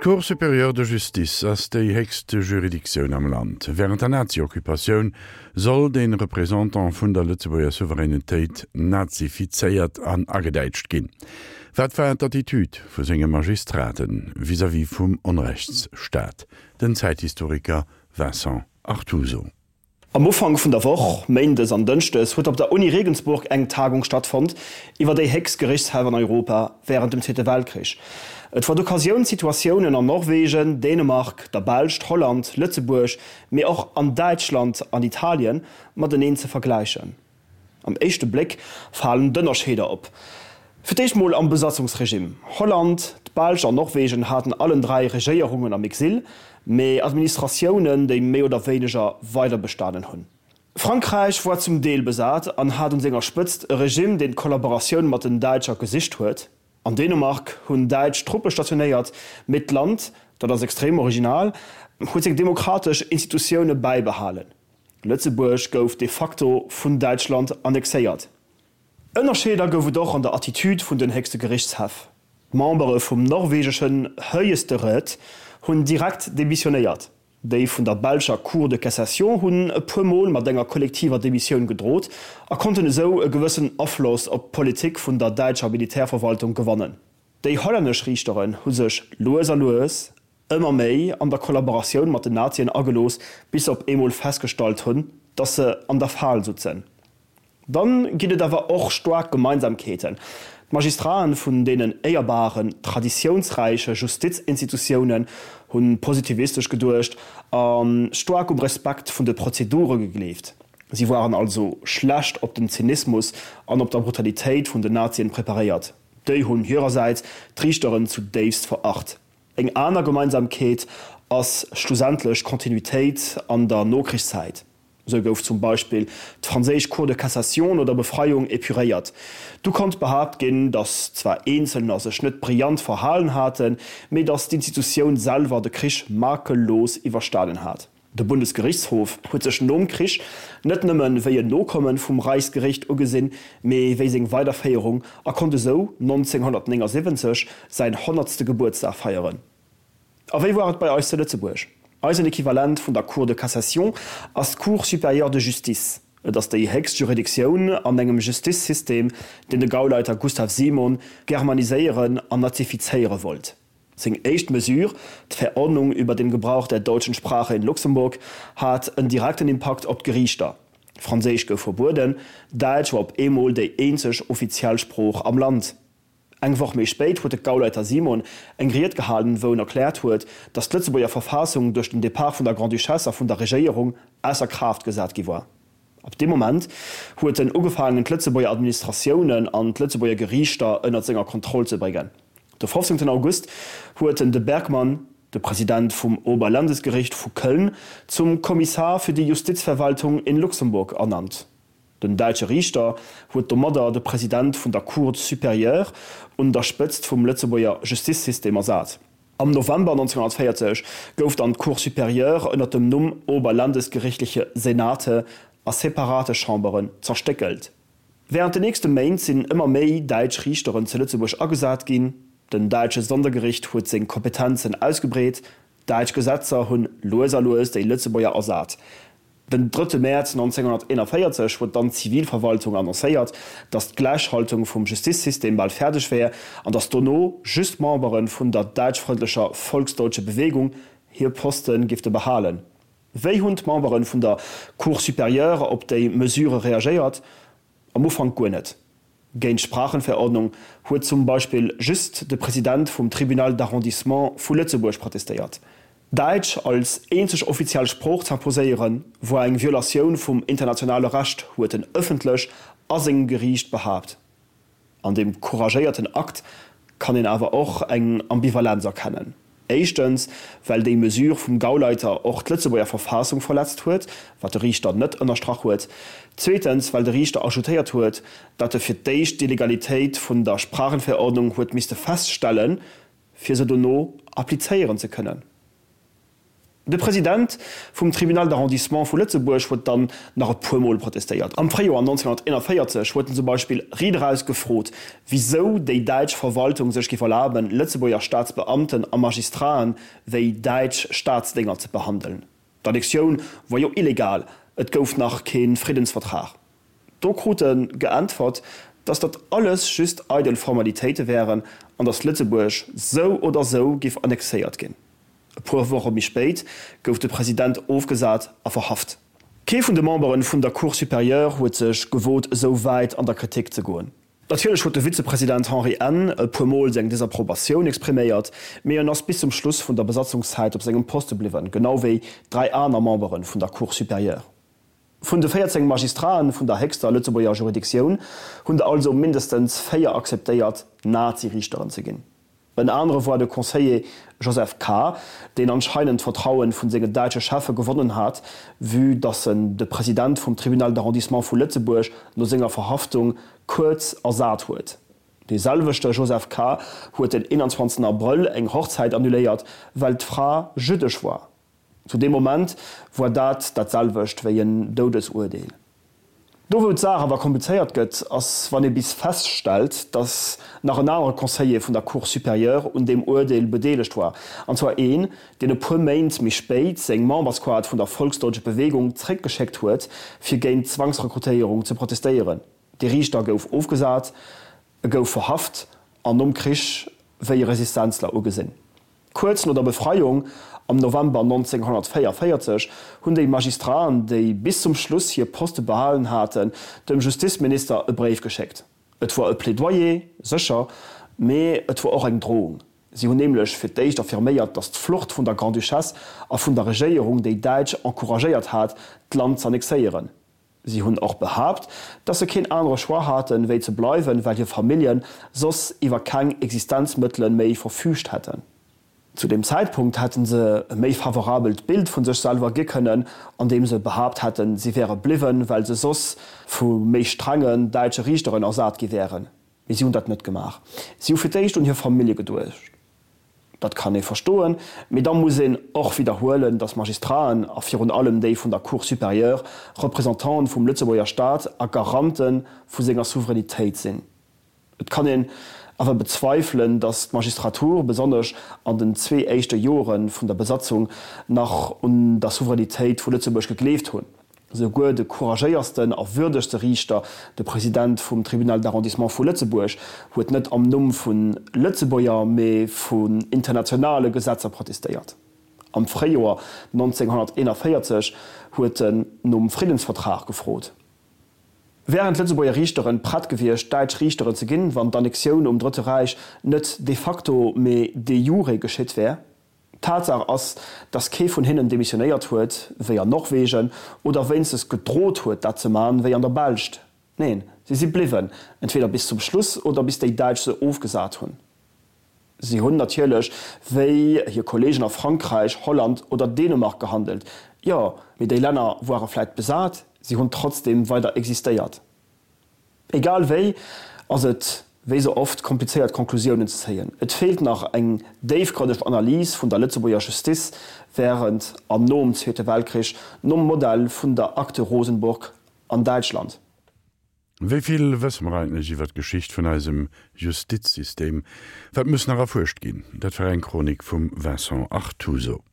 D'Cour supérieure de justice ass déi héchst Juridictioun am Land. Wärend der Nazi-Occupatioun soll de Représentant vun der Lëtzebuerger Souveränitéit nazifizéiert an agedäitscht ginn. Wat war d'Attitüd vu senge Magistraten vis-à-vis vum Onrechtsstaat? Den Zäithistoriker Vincent Artuso. Am Ufank vun der Woch, Méindes an Dënschdes, huet op der Uni Regensburg eng Tagung stattfonnt iwwer déi héchst Gerichtshäff an Europa wärend dem Zweete Weltkrich. Et war d'Occasioun d'Situatiounen an Norwegen, Dänemark, der Belscht, Holland, Lëtzebuerg, mee och an Däitschland an Italien mateneen ze vergläichen. Am éischte Bléck falen d'Ënnerscheeder op. Fir d'éischt mol am Besatzungsregime. Holland, d'Belsch an Norwegen haten allen 3 Regéierungen am Exil, mee Administratiounen, déi méi oder wéineger weiderbestanen hunn. Frankräich war zum Deel besat an hat un senger Spëtzt e Regime, deen d'Kollaboratioun mat den Däitscher gesicht huet. An Dänemark hunn däitsch Truppe stationéiert, mee d'Land, dat ass extrem original, huet seng demokratesch Institutioune bäibehalen. Lëtzebuerg gouf de facto vun Däitschland annexéiert. Ënnerscheeder gouf et och an der Attitude vun den héchste Gerichtshäff. D'Membere vum norwegeschen Høyesterett hunn direkt demissionéiert. Déi vun der belscher Cour de cassation hunn e puer Mol mat enger kollektiver Demissioun gedrot a konnten esou e gewëssen Afloss op d'Politik vun der däitscher Militärverwaltung gewannen. Déi hollännesch Riichteren hu sech lues a lues ëmmer méi an der Kollaboratioun mat den Nazien agelooss, bis se op eemol festgestallt hunn, datt se an der Fal sutzen. Dann ginn et awer och staark Gemeinsamkeeten. D'Magistraten vun deenen éierbaren, traditiounsräiche Justizinstitutiounen hu positivistesch geduecht a staark um Respekt vun de Prozedure gegleeft. Si waren also schlecht op den Zynismus an op der Brutalitéit vun den Nazien preparéiert. Déi hunn hirersäits d'Riichteren zudéifst veracht. Eng aner Gemeinsamkeet ass schlussendlech d'Kontinuitéit an der Nokrichszäit. Sou gouf zum Beispill d'franséisch Cour de cassation no der Befreiung epuréiert. Du konnt behaapt ginn, datt zwar Eenzelner sech net brillant verhalen haten, mee datt d'Institutioun selwer de Krich makellos iwwerstanen hat. De Bundesgerichtshof huet sech nom Krich net nëmme wéi en Nokomme vum Reichsgericht ugesinn, mee wéi seng Weiderféierung a konnt esou 1979 säin honnertste Gebuertsdag feieren. A wéi war et bei eis zu Lëtzebuerg? Eisen Equivalent vun der Cour de cassation ass d'Cour supérieure de justice. Et ass déi héchst Juridictioun an engem Justizsystem, deen de Gauleiter Gustav Simon germaniséieren an nazifizéiere wollt. Seng éischt Mesure, d'Verordnung über den Gebrauch der deutschen Sprache in Luxemburg, hat en direkten Impakt op d'Geriichter. Franséisch gouf verbueden, Däitsch war op eemol déi eenzeg offiziell Sprooch am Land. Eng Woch méi spéit huet de Gauleiter Simon eng Ried gehalen, wou en erkläert huet, datt d'Lëtzebuerger Verfassung duerch den Depart vun der Grande-Duchesse a vun der Regéierung ausser Kraaft gesat gi war. Ab deem Moment huet en ugefaangen d'Lëtzebuerger Administratiounen an d'Lëtzebuerger Geriichter ënnert senger Kontroll ze bréngen. De 15 August huet en de Bergmann, de President vum Oberlandesgericht vu Köln, zum Kommissar für die Justizverwaltung in Luxemburg ernannt. Den däitsche Riichter huet domadder de President vun der Cour supérieure un der Spëtzt vum Lëtzebuerger Justizsystem ersat. Am November 1940 gouf dann d'Cour supérieure ënner dem Numm Oberlandesgerichtliche Senate a separate Chamberen zerstéckelt. Wärend de nächste Méint sinn ëmmer méi däitsch Riichteren zu Lëtzebuerg agesat ginn. Den däitsche Sondergericht huet seng Kompetenzen ausgebreet, däitsch Gesetzer hunn lues a lues déi Lëtzebuerger ersat. Den drëtte Mäerz 1941 huet dann d'Zivilverwaltung annoncéiert, datt d'Gläichschaltung vum Justizsystem bal fäerdeg wär an datt dono just Membere vun der däitschfrëndlecher Volksdeutsche Bewegung hir Poste gifte behalen. Wéi hunn d'Membere vun der Cour supérieure op déi Mesure reagéiert? Am Ufank guer net. Géint d'Sprachenverordnung huet zum Beispill just de President vum Tribunal d'arrondissement vu Lëtzebuerg protestéiert. Däitsch als eenzeg offiziell Sprooch z'imposéieren, woar eng Violatioun vum internationale Recht, huet en ëffentlech a sengem Geriicht behaapt. An deem couragéierten Akt kann een awer och eng Ambivalenz erkennen. Éischtens, well déi Mesure vum Gauleiter och d'Lëtzebuerger Verfassung verletzt huet, wat de Riichter net ënnerstrach huet. Zweetens, well de Riichter ajoutéiert huet, datt e fir d'éischt d'Illegalitéit vun der Sprachenverordnung huet misste feststellen, fir se dono applizéieren ze kënnen. De President vum Tribunal d'arrondissement vu Lëtzebuerg huet dann nach e puer Mol protestéiert. Am Fréijoer 1941 huet en zum Beispill riit eraus gefrot, wisou déi däitsch Verwaltung sech géif erlaben, Lëtzebuerger Staatsbeamten a Magistraten wéi däitsch Staatsdénger ze behandeln. D'Annexioun wor jo illegal, et gouf nach kee Friddensvertrag. Do krut e geäntwert, datt dat alles just eidel Formalitéite wären an datt Lëtzebuerg sou oder sou géif annexéiert ginn. E puer Woche méi spéit gouf de President ofgesat a verhaft. Kee vun de Membere vun der Cour supérieure huet sech gewot esou wäit an der Kritik ze goen. Natierlech huet de Vizepresident Henri N. e puer Mol seng Desapprobatioun expriméiert, mee en ass bis zum Schluss vun der Besatzungszäit op sengem Poste bliwwen, genau wéi 3 aner Membere vun der Cour supérieure. Vun de 14 Magistraten vun der héchster Lëtzebuerger Juridictioun hunn der also mindestens 4 akzeptéiert, Nazi-Riichteren ze ginn. En anere war de Conseiller Joseph K., deen anscheinend d'Vertrauen vun senge däitsche Cheffe gewonnen hat, vue dass en de President vum Tribunal d'arrondissement vu Lëtzebuerg no senger Verhaftung kuerz ersat huet. Dee selwechte Joseph K. huet den 21 Abrëll eng Hochzäit annuléiert, well d'Fra jüddesch war. Zu deem Moment war dat dat selwecht wéi en Doudesuerdeel. Do wou d'Saach awer komplizéiert gëtt, ass wann ee bis feststellt, datt nach en anere Conseiller vun der Cour supérieure un deem Uerdeel bedeelegt war, an zwar een, deen e puer Méint méi spéit seng Memberskaart vun der Volksdeutsche Bewegung zréckgeschéckt huet, fir géint d'Zwangsrekrutéierung ze protestéieren. Dee Riichter gouf ofgesat, e gouf verhaft an nom Krich wéi e Resistenzler ugesinn. Kuerz no der Befreiung, am November 1944, hunn déi Magistraten, déi bis zum Schluss hir Poste behalen haten, dem Justizminister e Bréif geschéckt. Et wor e Plädoyer, sécher, mee et wor och eng Drohung. Si hunn nämlech fir d'éischt affirméiert, datt d'Flucht vun der Grande-Duchesse a vun der Regéierung déi Däitsch encouragéiert hat, d'Land z'annexéieren. Si hunn och behaapt, datt se keen anere Choix haten, wéi ze bleiwen, well hir Famillje soss iwwer keng Existenzmëttele méi verfüügt hätten. Zu deem Zäitpunkt hätte se e méi favorabelt Bild vu sech selwer gi kënnen, andeem se behaapt hätten, si wäre bliwwen, well se soss vu méi strengen däitsche Riichteren ersat gi wären. Mee si hunn dat net gemaach. Si hu fir d'éischt un hir Famillje geduecht. Dat kann ee verstoen, mee da muss een och widderhuelen, datt Magistraten, a virun allem déi vun der Cour supérieure, Représentanten vum Lëtzebuerger Staat a Garante vu senger Souveränitéit sinn. Et kann een awer bezweifelen, datt d'Magistratur, besonnesch an den zwee éischte Jore vun der Besatzung, nach un der Souveränitéit vu Lëtzebuerg gegleeft hunn. Souguer de couragéiersten a würdegste Riichter, de President vum Tribunal d'arrondissement vu Lëtzebuerg, huet net am Numm vu Lëtzebuerger, mee vun internationale Gesetzer protestéiert. Am Fréijoer 1941 huet en nom Friddensvertrag gefrot. Wären d'Lëtzebuerger Riichteren prett gewiescht, däitsch Riichteren ze ginn, wann d'Annexioun um Drëtte Räich net de facto, mee de jure geschitt wär? Tatsaach ass, dass kee vun hinnen demissionéiert huet, wéi an Norwegen, oder wéinstens gedrot huet, dat ze man, wéi an der Belscht. Neen, si si bliwwen, entweder bis zum Schluss oder bis déi Däitsch se ofgesat hunn. Si hunn natierlech wéi hir Kollegen a Frankräich, Holland oder Dänemark gehandelt, jo, mee déi Länner woare vläit besat, si hunn trotzdem weider existéiert. Egal wéi ass et, wéi sou oft, komplizéiert Conclusiounen ze zéien. Et feelt nach eng déifgrënneg Analys vun der Lëtzebuerger Justiz wärend an nom Zweete Weltkrich, nom Modell vun der Akte Rosenburg an Däitschland. Wéi vill wësse mer eigentlech iwwer d'Geschicht vun eisem Justizsystem? Wat muss nach erfuerscht ginn? Dat war eng Chronik vum Vincent Artuso.